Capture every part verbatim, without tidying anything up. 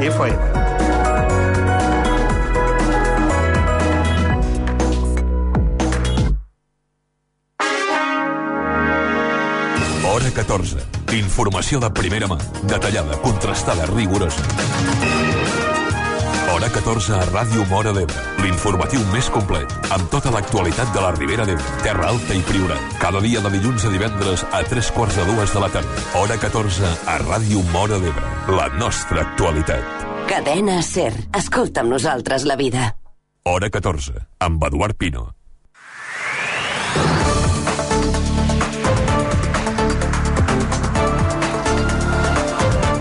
F M. Hora catorze. Informació de primera mà, detallada, contrastada, rigorosa. Hora catorze a Ràdio Móra d'Ebre. L'informatiu més complet, amb tota l'actualitat de la Ribera d'Ebre, Terra Alta i Priorat. Cada dia de dilluns a divendres a tres quarts de dues de la tarda. Hora catorze a Ràdio Móra d'Ebre. La nostra actualitat. Cadena SER. Escolta amb nosaltres la vida. Hora catorze, amb Eduard Pino.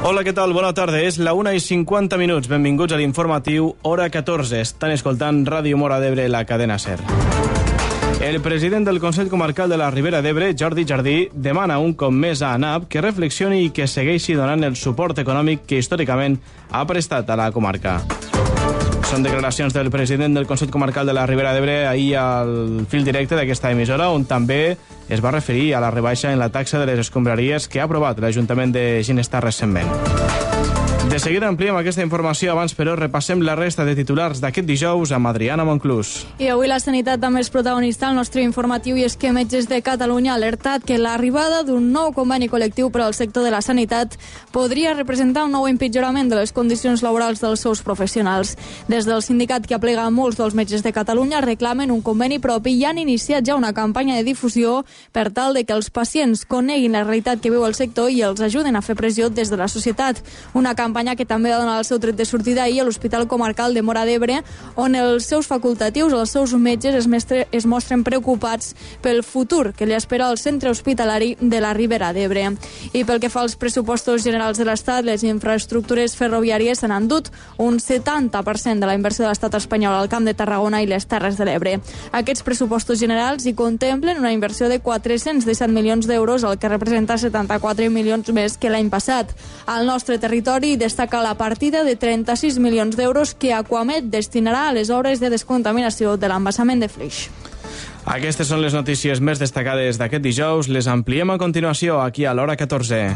Hola, què tal? Bona tarda. És la una i cinquanta minuts. Benvinguts a l'informatiu Hora catorze. Estan escoltant Ràdio Móra d'Ebre, la cadena SER. El president del Consell Comarcal de la Ribera d'Ebre, Jordi Jardí, demana un cop més a ANAP que reflexioni i que segueixi donant el suport econòmic que històricament ha prestat a la comarca. Són declaracions del president del Consell Comarcal de la Ribera d'Ebre ahir al fil directe d'aquesta emissora, on també es va referir a la rebaixa en la taxa de les escombraries que ha aprovat l'Ajuntament de Ginestar recentment. De seguida ampliem aquesta informació. Abans, però, repassem la resta de titulars d'aquest dijous amb Adriana Monclús. I avui la sanitat també és protagonista al nostre informatiu, i és que Metges de Catalunya ha alertat que l'arribada d'un nou conveni col·lectiu per al sector de la sanitat podria representar un nou empitjorament de les condicions laborals dels seus professionals. Des del sindicat que aplega molts dels metges de Catalunya reclamen un conveni propi i han iniciat ja una campanya de difusió per tal de que els pacients coneguin la realitat que viu el sector i els ajuden a fer pressió des de la societat. Una campanya que també va donar el seu tret de sortida ahir a l'Hospital Comarcal de Móra d'Ebre, on els seus facultatius, els seus metges, es, mestre, es mostren preocupats pel futur que li espera al centre hospitalari de la Ribera d'Ebre. I pel que fa als pressupostos generals de l'Estat, les infraestructures ferroviàries se n'han dut un setanta per cent de la inversió de l'Estat espanyol al Camp de Tarragona i les Terres de l'Ebre. Aquests pressupostos generals hi contemplen una inversió de quatre-cents disset milions d'euros, el que representa setanta-quatre milions més que l'any passat. Al nostre territori destaca la partida de trenta-sis milions d'euros que Aquamed destinarà a les obres de descontaminació de l'embassament de Flix. Aquestes són les notícies més destacades d'aquest dijous. Les ampliem a continuació aquí a l'Hora catorze.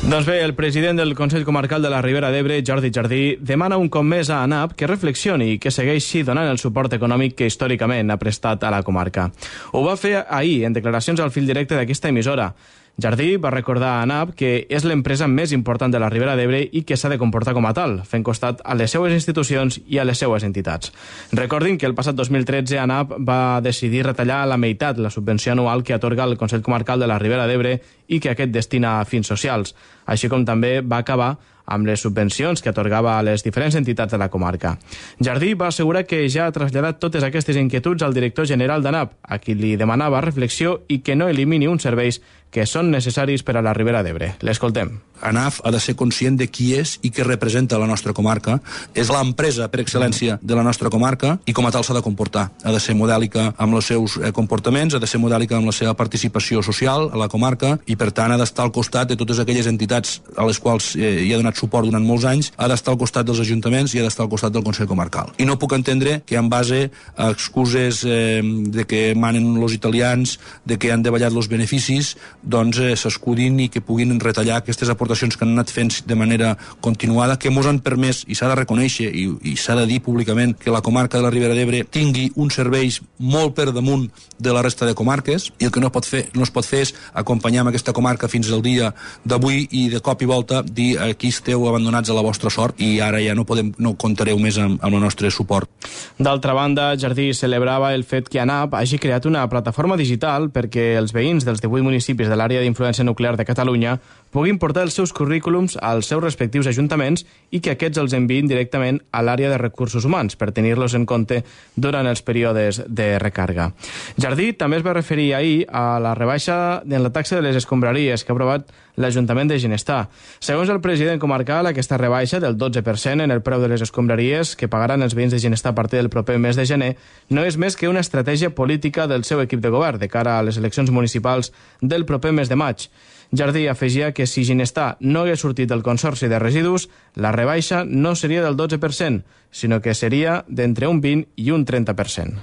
Doncs bé, el president del Consell Comarcal de la Ribera d'Ebre, Jordi Jardí, demana un cop més a ANAP que reflexioni i que segueixi donant el suport econòmic que històricament ha prestat a la comarca. Ho va fer ahir en declaracions al fil directe d'aquesta emissora. Jardí va recordar a ANAP que és l'empresa més important de la Ribera d'Ebre i que s'ha de comportar com a tal, fent costat a les seues institucions i a les seues entitats. Recordin que el passat dos mil tretze ANAP va decidir retallar a la meitat la subvenció anual que atorga el Consell Comarcal de la Ribera d'Ebre i que aquest destina a fins socials, així com també va acabar amb les subvencions que atorgava a les diferents entitats de la comarca. Jardí va assegurar que ja ha traslladat totes aquestes inquietuds al director general d'ANAP, a qui li demanava reflexió i que no elimini uns serveis que són necessaris per a la Ribera d'Ebre. L'escoltem. ANAF ha de ser conscient de qui és i què representa la nostra comarca. És l'empresa per excel·lència de la nostra comarca i com a tal s'ha de comportar. Ha de ser modèlica amb els seus comportaments, ha de ser modèlica amb la seva participació social a la comarca i, per tant, ha d'estar al costat de totes aquelles entitats a les quals eh, hi ha donat suport durant molts anys, ha d'estar al costat dels ajuntaments i ha d'estar al costat del Consell Comarcal. I no puc entendre que en base a excuses eh, de que manen els italians, de que han davallat els beneficis, doncs eh, s'escudin i que puguin retallar aquestes aportacions que han anat fent de manera continuada, que mos han permès, i s'ha de reconèixer i, i s'ha de dir públicament, que la comarca de la Ribera d'Ebre tingui uns serveis molt per damunt de la resta de comarques, i el que no, pot fer, no es pot fer és acompanyar amb aquesta comarca fins al dia d'avui i de cop i volta dir aquí esteu abandonats a la vostra sort i ara ja no podem, no comptareu més amb, amb el nostre suport. D'altra banda, Jardí celebrava el fet que ANAP hagi creat una plataforma digital perquè els veïns dels divuit municipis de l'àrea d'influència nuclear de Catalunya puguin portar els seus currículums als seus respectius ajuntaments i que aquests els enviïn directament a l'àrea de recursos humans per tenir-los en compte durant els períodes de recàrrega. Jardí també es va referir ahir a la rebaixa en la taxa de les escombraries que ha aprovat l'Ajuntament de Ginestar. Segons el president comarcal, aquesta rebaixa del dotze per cent en el preu de les escombraries que pagaran els veïns de Ginestar a partir del proper mes de gener no és més que una estratègia política del seu equip de govern de cara a les eleccions municipals del proper mes de maig. Jardí afegia que si Ginestar no hagués sortit del Consorci de Residus, la rebaixa no seria del dotze per cent, sinó que seria d'entre un vint i un trenta per cent.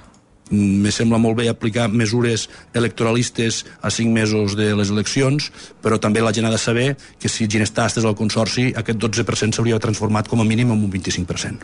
Me sembla molt bé aplicar mesures electoralistes a cinc mesos de les eleccions, però també la gent ha de saber que si Ginestar estàs al Consorci, aquest dotze per cent s'hauria transformat com a mínim en un vint-i-cinc per cent.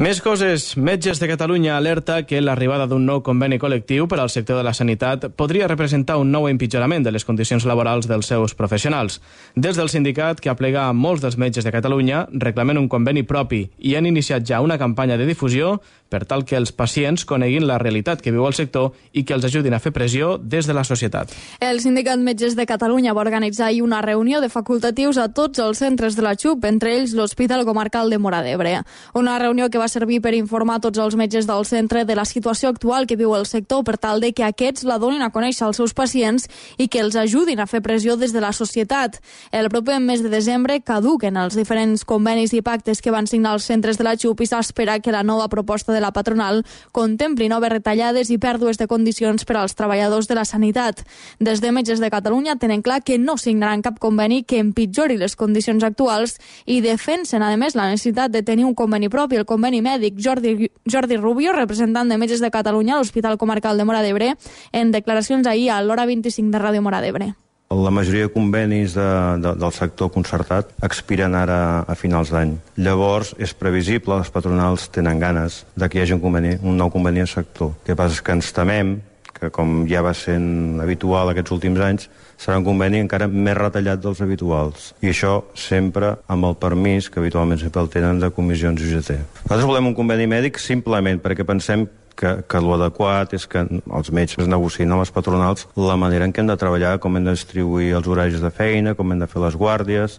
Més coses. Metges de Catalunya alerta que l'arribada d'un nou conveni col·lectiu per al sector de la sanitat podria representar un nou empitjorament de les condicions laborals dels seus professionals. Des del sindicat, que aplega molts dels metges de Catalunya, reclamen un conveni propi i han iniciat ja una campanya de difusió per tal que els pacients coneguin la realitat que viu el sector i que els ajudin a fer pressió des de la societat. El Sindicat Metges de Catalunya va organitzar ahir una reunió de facultatius a tots els centres de la X U P, entre ells l'Hospital Comarcal de Móra d'Ebre. Una reunió que va servir per informar tots els metges del centre de la situació actual que viu el sector per tal de que aquests la donin a conèixer als seus pacients i que els ajudin a fer pressió des de la societat. El proper mes de desembre caduquen els diferents convenis i pactes que van signar els centres de la X U P i s'espera que la nova proposta de la patronal contempli noves retallades i pèrdues de condicions per als treballadors de la sanitat. Des de Metges de Catalunya tenen clar que no signaran cap conveni que empitjori les condicions actuals i defensen, a més, la necessitat de tenir un conveni propi, el conveni mèdic. Jordi, Jordi Rubio, representant de Metges de Catalunya a l'Hospital Comarcal de Móra d'Ebre, en declaracions ahir a l'Hora vint-i-cinc de Ràdio Móra d'Ebre. La majoria de convenis de, de, del sector concertat expiren ara a finals d'any. Llavors, és previsible, les patronals tenen ganes de que hi hagi un, conveni, un nou conveni al sector. El que passa és que ens temem que, com ja va sent habitual aquests últims anys, serà un conveni encara més retallat dels habituals. I això sempre amb el permís, que habitualment sempre el tenen, de comissions U G T. Nosaltres volem un conveni mèdic simplement perquè pensem que, que l'adequat és que els metges negociïn amb les patronals la manera en què hem de treballar, com hem de distribuir els horaris de feina, com hem de fer les guàrdies.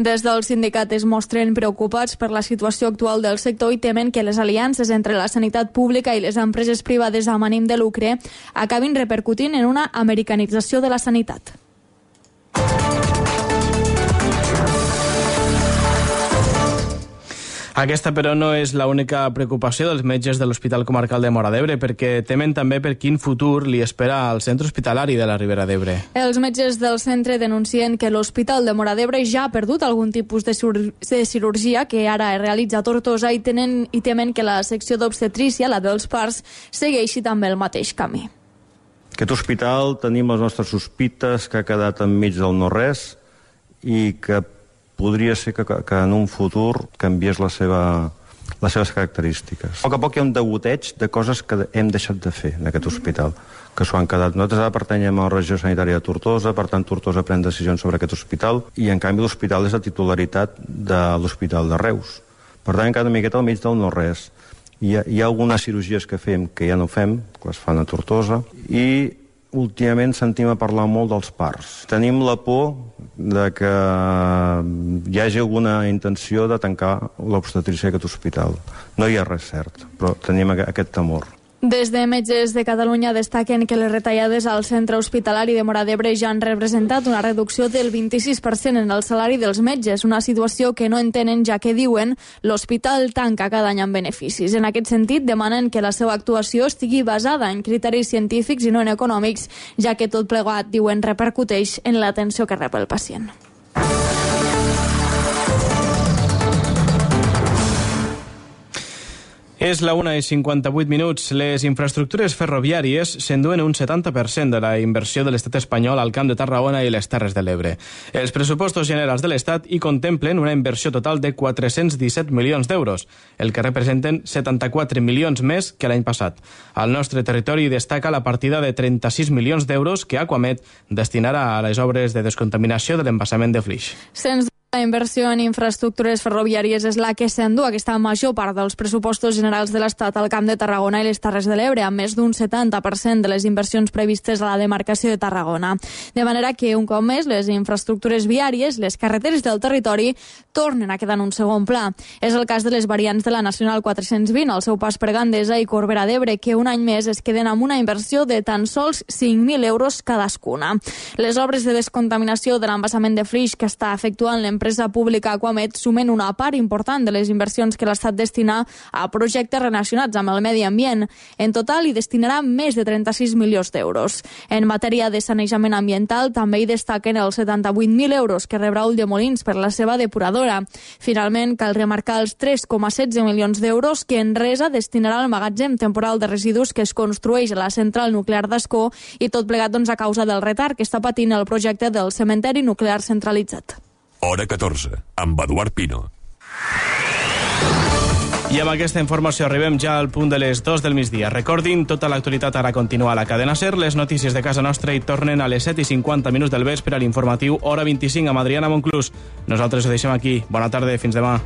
Des del sindicat es mostren preocupats per la situació actual del sector i temen que les aliances entre la sanitat pública i les empreses privades amb ànim de lucre acabin repercutint en una americanització de la sanitat. Aquesta, però, no és l'única preocupació dels metges de l'Hospital Comarcal de Móra d'Ebre, perquè temen també per quin futur li espera al centre hospitalari de la Ribera d'Ebre. Els metges del centre denuncien que l'Hospital de Móra d'Ebre ja ha perdut algun tipus de, de cirurgia que ara es realitza a Tortosa i, tenen, i temen que la secció d'obstetrícia, la dels parts, segueixi també el mateix camí. Aquest hospital tenim les nostres sospites que ha quedat enmig del no-res i que podria ser que, que en un futur canviés la seva, les seves característiques. A poc a poc hi ha un degoteig de coses que hem deixat de fer en aquest hospital, que s'ho han quedat. Nosaltres ara pertanyem a la regió sanitària de Tortosa, per tant Tortosa pren decisions sobre aquest hospital i en canvi l'hospital és de titularitat de l'Hospital de Reus. Per tant, encara una miqueta al mig del no-res. Hi ha, hi ha algunes cirurgies que fem que ja no fem, que les fan a Tortosa, i últimament sentim a parlar molt dels parts. Tenim la por de que hi hagi alguna intenció de tancar l'obstetrícia d'aquest hospital. No hi ha res cert, però tenim aquest temor. Des de Metges de Catalunya destaquen que les retallades al centre hospitalari de Móra d'Ebre ja han representat una reducció del vint-i-sis per cent en el salari dels metges, una situació que no entenen ja que diuen l'hospital tanca cada any amb beneficis. En aquest sentit, demanen que la seva actuació estigui basada en criteris científics i no en econòmics, ja que tot plegat, diuen, repercuteix en l'atenció que rep el pacient. És la una i cinquanta-vuit minuts. Les infraestructures ferroviàries s'enduen un setanta per cent de la inversió de l'estat espanyol al Camp de Tarragona i les Terres de l'Ebre. Els pressupostos generals de l'estat hi contemplen una inversió total de quatre-cents disset milions d'euros, el que representen setanta-quatre milions més que l'any passat. Al nostre territori destaca la partida de trenta-sis milions d'euros que Aquamet destinarà a les obres de descontaminació de l'embassament de Flix. Sens La inversió en infraestructures ferroviàries és la que s'endú aquesta major part dels pressupostos generals de l'Estat al Camp de Tarragona i les Terres de l'Ebre, amb més d'un setanta per cent de les inversions previstes a la demarcació de Tarragona. De manera que, un cop més, les infraestructures viàries, les carreteres del territori, tornen a quedar en un segon pla. És el cas de les variants de la Nacional quatre-cents vint, al seu pas per Gandesa i Corbera d'Ebre, que un any més es queden amb una inversió de tan sols cinc mil euros cadascuna. Les obres de descontaminació de l'embassament de Flix que està efectuant l'empresa l'empresa pública Aquamed sumen una part important de les inversions que l'Estat destina a projectes relacionats amb el medi ambient. En total hi destinarà més de trenta-sis milions d'euros. En matèria de sanejament ambiental també hi destaquen els setanta-vuit mil euros que rebrà Ulldemolins per la seva depuradora. Finalment, cal remarcar els tres coma setze milions d'euros que Enresa destinarà al magatzem temporal de residus que es construeix a la central nuclear d'Ascó, i tot plegat doncs, a causa del retard que està patint el projecte del cementeri nuclear centralitzat. Hora catorze, amb Eduard Pino. I amb aquesta informació arribem ja al punt de les dos del migdia. Recordin, tota l'actualitat ara continua a la cadena SER. Les notícies de casa nostra hi tornen a les set i cinquanta minuts del vespre a l'informatiu Hora vint-i-cinc amb Adriana Monclús. Nosaltres ho deixem aquí. Bona tarda, fins demà.